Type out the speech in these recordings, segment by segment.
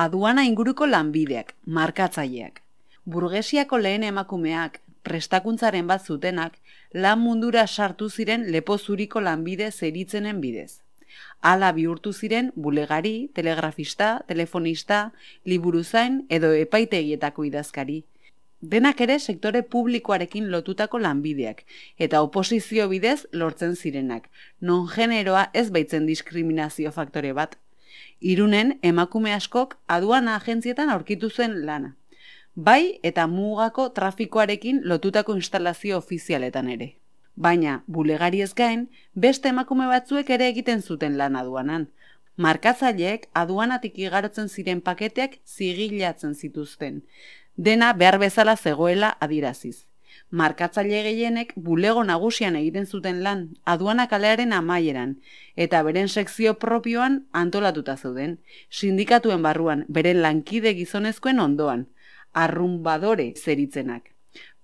Aduana inguruko lanbideak, markatzaileak. Burgesiako lehen emakumeak, prestakuntzaren bat zutenak, lan mundura sartu ziren lepo zuriko lanbide zeritzenen bidez. Hala bihurtu ziren bulegari, telegrafista, telefonista, liburuzain edo epaitegietako idazkari. Denak ere sektore publikoarekin lotutako lanbideak, eta oposizio bidez lortzen zirenak, non generoa ez baitzen diskriminazio faktore bat. Irunen emakume askok aduana agentzietan aurkitu zuen lana. Bai eta mugako trafikoarekin lotutako instalazio ofizialetan ere. Baina, bulegari ez gain, beste emakume batzuek ere egiten zuten lan aduanan. Markatzaileek aduanatik igarotzen ziren paketeak zigilatzen zituzten. Dena behar bezala zegoela adiraziz. Markatzaile gehienek bulego nagusian egiten zuten lan, aduana kalearen amaieran, eta beren sekzio propioan antolatuta zeuden, sindikatuen barruan, beren lankide gizonezkoen ondoan, arrumbadore zeritzenak.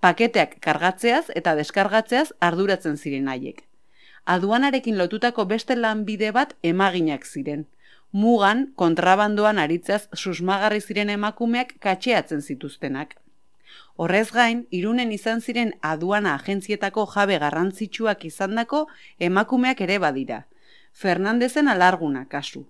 Paketeak kargatzeaz eta deskargatzeaz arduratzen ziren haiek. Aduanarekin lotutako beste lanbide bat emaginak ziren. Mugan, kontrabandoan aritzeaz susmagarri ziren emakumeak katxeatzen zituztenak. Horrez gain, Irunen izan ziren aduana agentzietako jabe garrantzitsuak izandako emakumeak ere badira. Fernandezen alarguna kasu.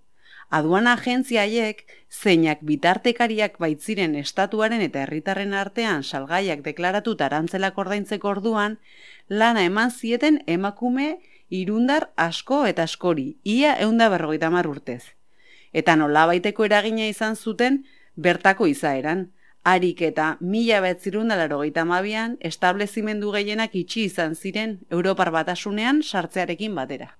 Aduana agentzia haiek, zeinak bitartekariak baitziren estatuaren eta herritarren artean salgaiak deklaratu arantzelak ordaintzeko orduan, lana eman zieten emakume irundar asko eta askori, ia 150 urtez. Eta nolabaiteko eragina izan zuten bertako izaeran, harik eta 1982an establezimendu gehienak itxi izan ziren Europar Batasunean sartzearekin batera.